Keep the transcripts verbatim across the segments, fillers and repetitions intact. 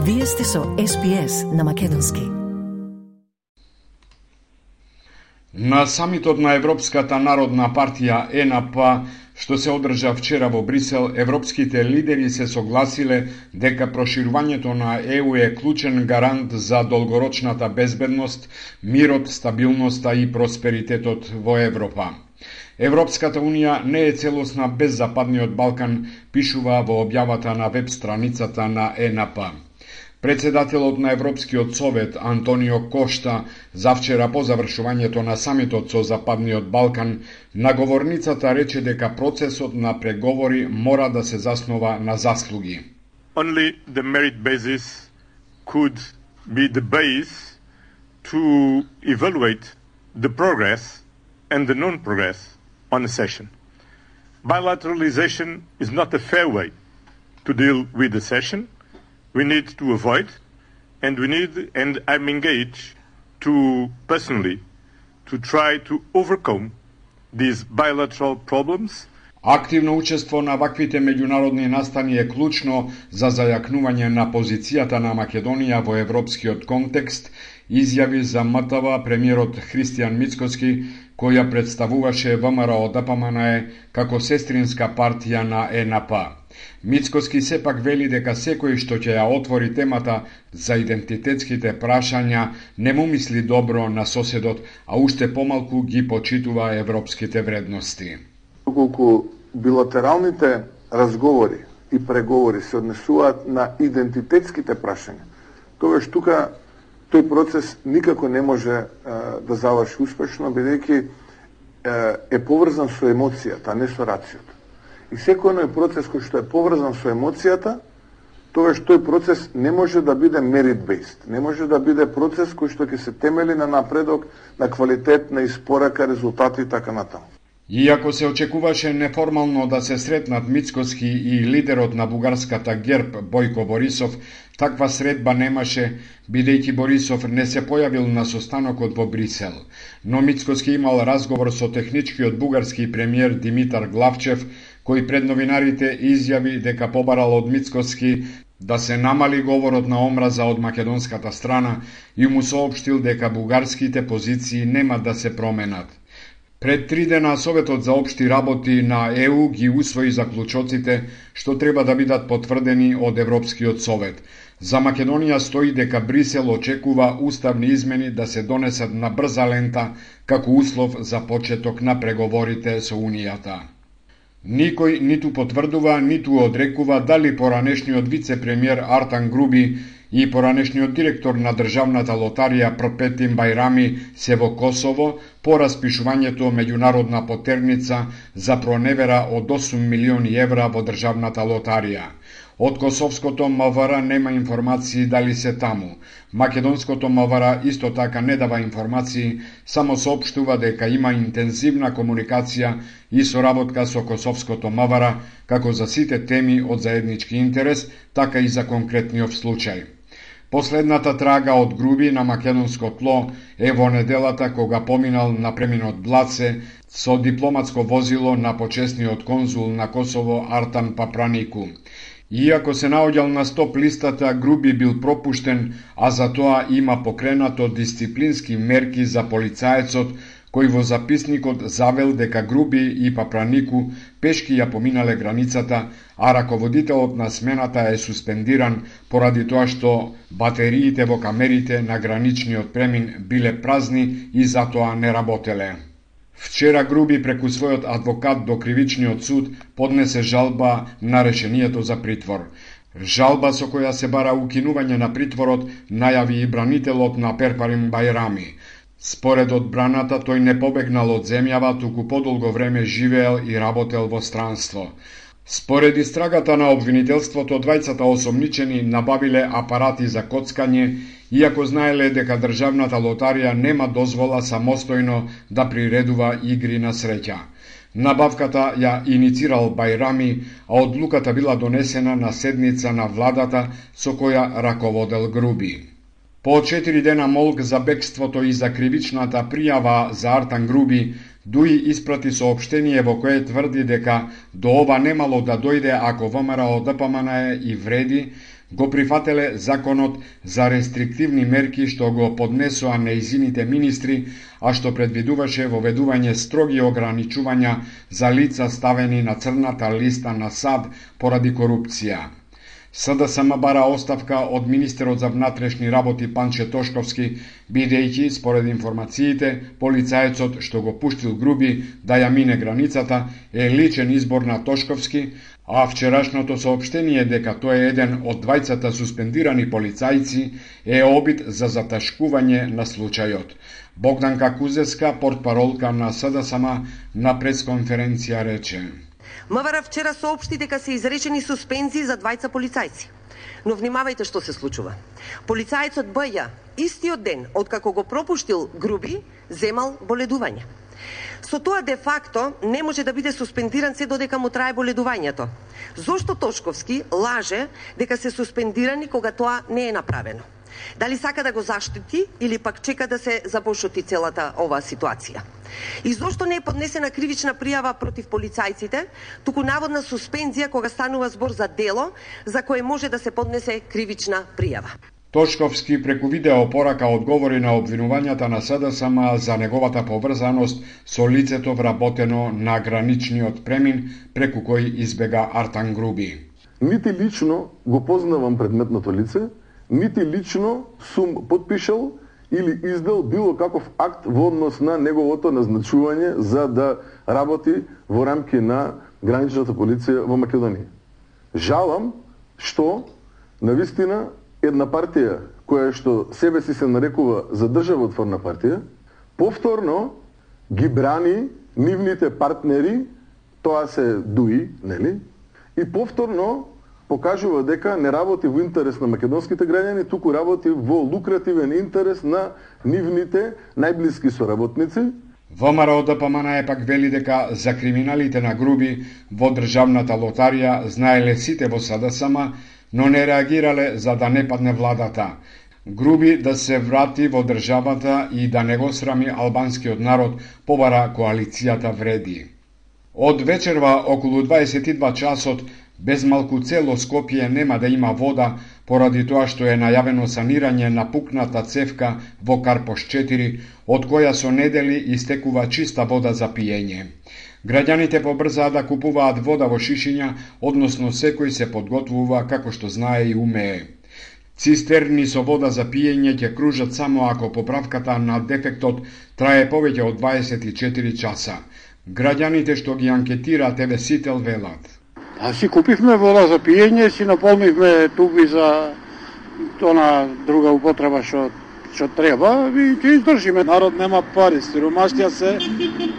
Вие сте со Ес Би Ес на Македонски. На самитот на Европската народна партија Е Ен Пе, што се одржа вчера во Брисел, европските лидери се согласиле дека проширувањето на Е У е клучен гарант за долгорочната безбедност, мирот, стабилноста и просперитетот во Европа. Европската Унија не е целосна без Западниот Балкан, пишува во објавата на веб страницата на Е Ен Пе. Председателот на Европскиот совет Антонио Кошта завчера по завршувањето на самитот со Западниот Балкан на говорницата рече дека процесот на преговори мора да се заснова на заслуги. Only the merit basis could be the base to evaluate the progress and the non-progress on a session. Bilateralization is not a fair way to deal with the session. We need to avoid, and we need, and I'm engaged to personally to try to overcome these bilateral problems. Активно учество на ваквите меѓународни настани е клучно за зајакнување на позицијата на Македонија во европскиот контекст, изјави за М Т В премиерот Христијан Мицкоски, која представуваше В М Р О Д П М Н Е како сестринска партија на Е Ен Пе. Мицкоски сепак вели дека секој што ќе ја отвори темата за идентитетските прашања не му мисли добро на соседот, а уште помалку ги почитува европските вредности. Доколку билатералните разговори и преговори се однесуваат на идентитетските прашања, тогаш тука тој процес никако не може е, да заврши успешно, бидејќи е, е поврзан со емоцијата, а не со рацијата. И секој едној процес кој што е поврзан со емоцијата, тогаш тој процес не може да биде merit-based, не може да биде процес кој што ќе се темели на напредок, на квалитет, на испорака, резултати и така натаму. Иако се очекуваше неформално да се сретнат Мицкоски и лидерот на бугарската ГЕРБ Бојко Борисов, таква средба немаше, бидејќи Борисов не се појавил на состанокот во Брисел. Но Мицкоски имал разговор со техничкиот бугарски премиер Димитар Главчев, кој пред новинарите изјави дека побарал од Мицкоски да се намали говорот на омраза од македонската страна и му соопштил дека бугарските позиции нема да се променат. Пред три дена Советот за општи работи на Е У ги усвои заклучоците што треба да бидат потврдени од Европскиот совет. За Македонија стои дека Брисел очекува уставни измени да се донесат на брза лента како услов за почеток на преговорите со Унијата. Никој ниту потврдува, ниту одрекува дали поранешниот вице-премиер Артан Груби и поранешниот директор на Државната лотарија Пропетин Бајрами се во Косово по распишувањето меѓународна потерница за проневера од осум милиони евра во Државната лотарија. Од косовското М В Р нема информации дали се таму. Македонското М В Р исто така не дава информации, само соопштува дека има интензивна комуникација и соработка со косовското М В Р, како за сите теми од заеднички интерес, така и за конкретниот случај. Последната трага од Груби на македонско тло е во неделата кога поминал на преминот Блаце со дипломатско возило на почесниот конзул на Косово Артан Папранику. Иако се наоѓал на стоп листата, Груби бил пропуштен, а за тоа има покренато дисциплински мерки за полицаецот, кој во записникот завел дека Груби и Папранику пешки ја поминале границата, а раководителот на смената е суспендиран поради тоа што батериите во камерите на граничниот премин биле празни и затоа не работеле. Вчера Груби преку својот адвокат до кривичниот суд поднесе жалба на решението за притвор. Жалба со која се бара укинување на притворот најави и бранителот на Перпарин Бајрами. Според одбраната, тој не побегнал од земјава, туку подолго време живеел и работел во странство. Според истрагата на обвинителството, двајцата осомничени набавиле апарати за коцкање, иако знаеле дека Државната лотарија нема дозвола самостојно да приредува игри на среќа. Набавката ја иницирал Бајрами, а одлуката била донесена на седница на владата со која раководел Груби. По четири дена молк за бегството и за кривичната пријава за Артан Груби, Дуи испрати соопштение во кое тврди дека до ова немало да дојде ако ВМРО ДПМН и вреди, го прифателе законот за рестриктивни мерки што го поднесоа нејзините министри, а што предвидуваше воведување строги ограничувања за лица ставени на црната листа на САД поради корупција. СДСМ бара оставка од министерот за внатрешни работи Панче Тошковски, бидејќи, според информациите, полицајецот што го пуштил Груби да ја мине границата е личен избор на Тошковски, а вчерашното соопштение дека тој е еден од двајцата суспендирани полицајци е обид за заташкување на случајот. Богданка Кузеска, портпаролка на СДСМ, на пресконференција рече: МВР вчера соопшти дека се изречени суспензии за двајца полицајци. Но внимавајте што се случува. Полицајецот Б.Ј. истиот ден откако го пропуштил Груби, земал боледување. Со тоа де факто не може да биде суспендиран се додека му трае боледувањето. Зошто Тошковски лаже дека се суспендирани кога тоа не е направено? Дали сака да го заштити или пак чека да се запошути целата оваа ситуација? И зошто не е поднесена кривична пријава против полицајците, туку наводна суспензија кога станува збор за дело за кое може да се поднесе кривична пријава? Тошковски преку видео порака одговори на обвинувањата на СДСМ за неговата поврзаност со лицето вработено на граничниот премин преку кој избега Артан Груби. Нити лично го познавам предметното лице, нити лично сум подпишал или издал било каков акт во однос на неговото назначување за да работи во рамки на граничната полиција во Македонија. Жалам што навистина една партија која што себе си се нарекува за државотворна партија, повторно ги брани нивните партнери, тоа се ДУИ, нели? И повторно покажува дека не работи во интерес на македонските граѓани, туку работи во лукративен интерес на нивните најблиски соработници. ВМРО ДПМН пак вели дека за криминалите на Груби во државната лотарија знаеле сите во СДСМ, но не реагирале за да не падне владата. Груби да се врати во државата и да не го срами албанскиот народ, побара коалицијата Вреди. Од вечерва околу дваесет и два часот без малку цело Скопје нема да има вода поради тоа што е најавено санирање на пукната цевка во Карпош четири, од која со недели истекува чиста вода за пиење. Граѓаните побрзаа да купуваат вода во шишиња, односно секој се подготвува како што знае и умее. Цистерни со вода за пиење ќе кружат само ако поправката на дефектот трае повеќе од дваесет и четири часа. Граѓаните што ги анкетира Те Ве Сител велат: А си купивме вода за пиење, си наполнивме туби за она друга употреба што што треба и ќе издржиме. Народ нема пари, сиромаштија се,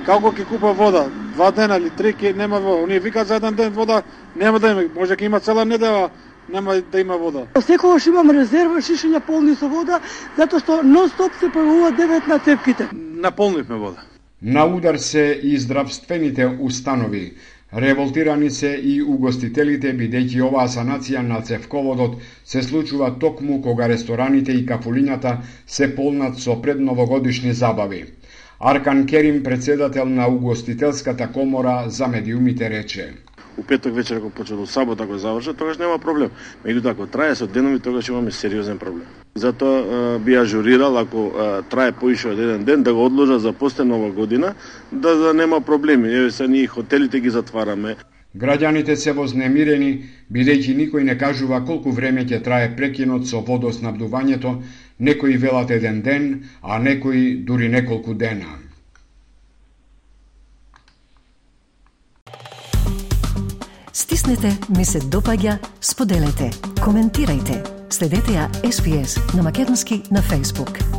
како ќе купа вода? Два дена или три ќе нема вода. Оние викаат за еден ден вода нема да има, може ќе има цела недела нема да има вода. Секогаш имам резерва шишиња полни со вода, затоа што нон-стоп се појавува девет на цевките. Наполнивме вода. На удар се и здравствените установи. Револтирани се и угостителите, бидејќи оваа санација на цевководот се случува токму кога рестораните и кафулињата се полнат со предновогодишни забави. Аркан Керим, председател на угостителската комора за медиумите, рече: У петок вечер ако почне до сабота го завршат, тогаш нема проблем. Меѓутоа ако трае со денови, тогаш имаме сериозен проблем. Затоа би ажурирал ако а, трае поише од еден ден да го одложа за после нова година, да, да нема проблеми. Еве се ние хотелите ги затвараме. Граѓаните се вознемирени, бидејќи никој не кажува колку време ќе трае прекинот со водоснабдувањето, некои велат еден ден, а некои дури неколку дена. Стиснете, ми се допаѓа, споделете, коментирајте. Следете ја Ес Би Ес на македонски на Facebook.